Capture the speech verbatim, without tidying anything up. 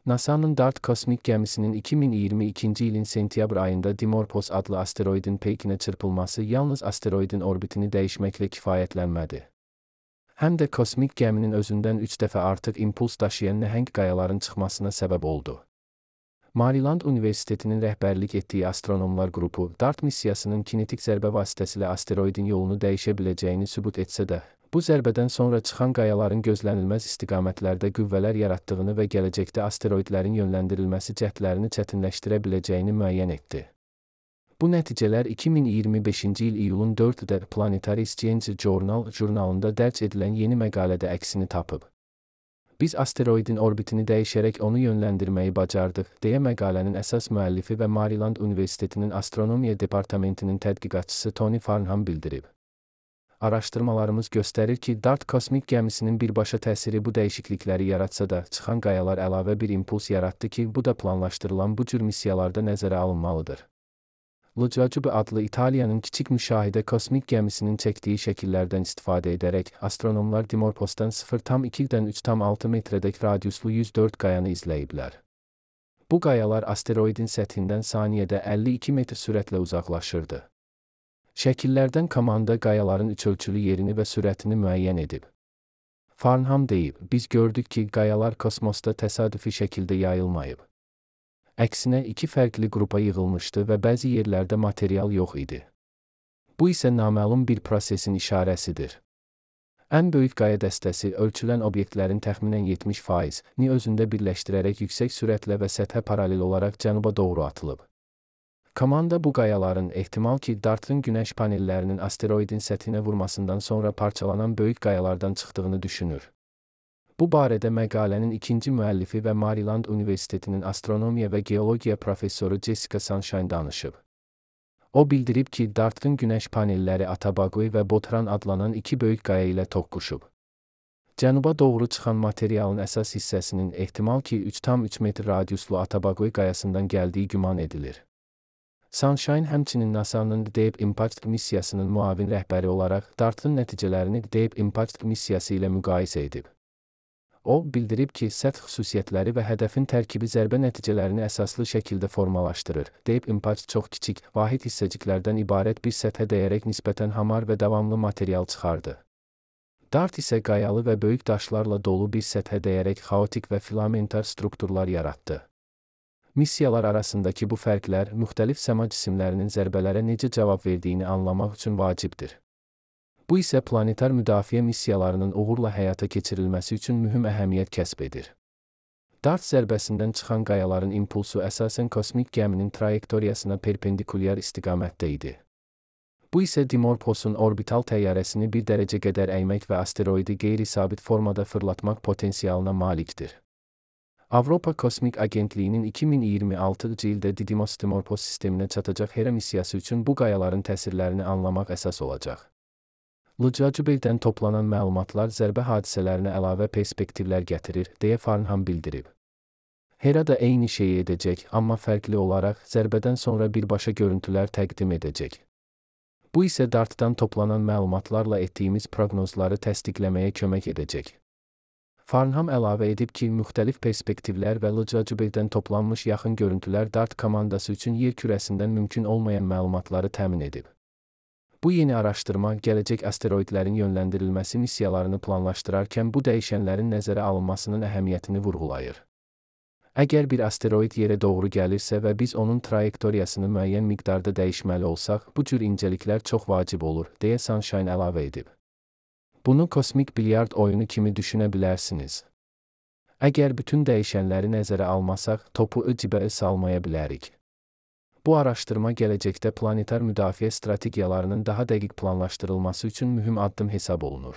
NASA'nın DART kosmik gemisinin iki bin iyirmi ikinci ilin sentyabr ayında Dimorphos adlı asteroidin peykine çırpılması yalnız asteroidin orbitini değişmekle kifayətlənmədi. Həm də kosmik geminin özündən üç dəfə artıq impuls daşıyan nəhəng qayaların çıxmasına səbəb oldu. Maryland Universitetinin rəhbərlik etdiyi astronomlar qrupu, DART missiyasının kinetik zərbə vasitəsilə asteroidin yolunu dəyişə biləcəyini sübut etsə də, bu zərbədən sonra çıxan qayaların gözlənilməz istiqamətlərdə qüvvələr yaratdığını və gələcəkdə asteroidlərin yönləndirilməsi cəhdlərini çətinləşdirə biləcəyini müəyyən etdi. Bu nəticələr iki min iyirmi beşinci il iyulun dördündə Planetary Science Journal jurnalında dərc edilən yeni məqalədə əksini tapıb. Biz asteroidin orbitini dəyişərək onu yönləndirməyi bacardıq, deyə məqalənin əsas müəllifi və Maryland Universitetinin Astronomiya Departamentinin tədqiqatçısı Tony Farnham bildirib. Araşdırmalarımız göstərir ki, DART kosmik gemisinin birbaşa təsiri bu dəyişiklikləri yaratsa da, çıxan qayalar əlavə bir impuls yaratdı ki, bu da planlaşdırılan bu cür missiyalarda nəzərə alınmalıdır. Lucacubi adlı İtaliyanın kiçik müşahidə kosmik gemisinin çəkdiyi şəkillərdən istifadə edərək, astronomlar Dimorphosdan sıfır tam ikidən üç tam altı metrədək radiuslu yüz dörd qayanı izləyiblər. Bu qayalar asteroidin səthindən saniyədə əlli iki metr sürətlə uzaqlaşırdı. Şəkillərdən komanda qayaların üçölçülü yerini və sürətini müəyyən edib. Farnham deyib, biz gördük ki, qayalar kosmosda təsadüfi şəkildə yayılmayıb. Əksinə iki fərqli qrupa yığılmışdı və bəzi yerlərdə material yox idi. Bu isə naməlum bir prosesin işarəsidir. Ən böyük qaya dəstəsi ölçülən obyektlərin təxminən yetmiş faizini özündə birləşdirərək yüksək sürətlə və səthə paralel olaraq cənuba doğru atılıb. Komanda bu qayaların ehtimal ki, DART'ın günəş panellərinin asteroidin səthinə vurmasından sonra parçalanan böyük qayalardan çıxdığını düşünür. Bu barədə məqalənin ikinci müəllifi və Maryland Universitetinin astronomiya və geologiya professoru Jessica Sunshine danışıb. O bildirib ki, DART'ın günəş panelləri Atabagui və Botran adlanan iki böyük qaya ilə toqquşub. Cənuba doğru çıxan materialın əsas hissəsinin ehtimal ki, üç tam üç metr radiuslu Atabagui qayasından gəldiyi güman edilir. Sunshine həmçinin NASA'nın Deep Impact missiyasının müavin rəhbəri olaraq DART'ın nəticələrini Deep Impact missiyası ilə müqayisə edib. O, bildirib ki, səth xüsusiyyətləri və hədəfin tərkibi zərbə nəticələrini əsaslı şəkildə formalaşdırır. Deep Impact çox kiçik, vahid hissəciklərdən ibarət bir səthə dəyərək nisbətən hamar və davamlı material çıxardı. DART isə qayalı və böyük daşlarla dolu bir səthə dəyərək xaotik və filamentar strukturlar yaratdı. Missiyalar arasındakı bu fərqlər müxtəlif səma cisimlərinin zərbələrə necə cavab verdiyini anlamaq üçün vacibdir. Bu isə planetar müdafiə missiyalarının uğurla həyata keçirilməsi üçün mühüm əhəmiyyət kəsb edir. DART zərbəsindən çıxan qayaların impulsu əsasən kosmik geminin trayektoriyasına perpendikulyar istiqamətdə idi. Bu isə Dimorphosun orbital təyyarəsini bir dərəcə qədər əymək və asteroidi qeyri-sabit formada fırlatmaq potensialına malikdir. Avropa Kosmik Agentliyinin iki min iyirmi altıncı ildə Didymos Dimorphos sisteminə çatacaq Hera missiyası üçün bu qayaların təsirlərini anlamaq əsas olacaq. Lucacube'dən toplanan məlumatlar zərbə hadisələrinə əlavə perspektivlər gətirir, deyə Farnham bildirib. Hera da eyni şeyi edəcək, amma fərqli olaraq zərbədən sonra birbaşa görüntülər təqdim edəcək. Bu isə DART'dan toplanan məlumatlarla etdiyimiz proqnozları təsdiqləməyə kömək edəcək. Farnham əlavə edib ki, müxtəlif perspektivlər və Lucacube'dən toplanmış yaxın görüntülər DART komandası üçün yer kürəsindən mümkün olmayan məlumatları təmin edib. Bu yeni araşdırma, gələcək asteroidlərin yönləndirilməsi missiyalarını planlaşdırarkən bu dəyişənlərin nəzərə alınmasının əhəmiyyətini vurğulayır. Əgər bir asteroid yerə doğru gəlirsə və biz onun trayektoriyasını müəyyən miqdarda dəyişməli olsaq, bu cür incəliklər çox vacib olur, deyə Sunshine əlavə edib. Bunu kosmik bilyard oyunu kimi düşünə bilərsiniz. Əgər bütün dəyişənləri nəzərə almasaq, topu cibə salmaya bilərik. Bu araşdırma gələcəkdə planetar müdafiə strategiyalarının daha dəqiq planlaşdırılması üçün mühüm addım hesab olunur.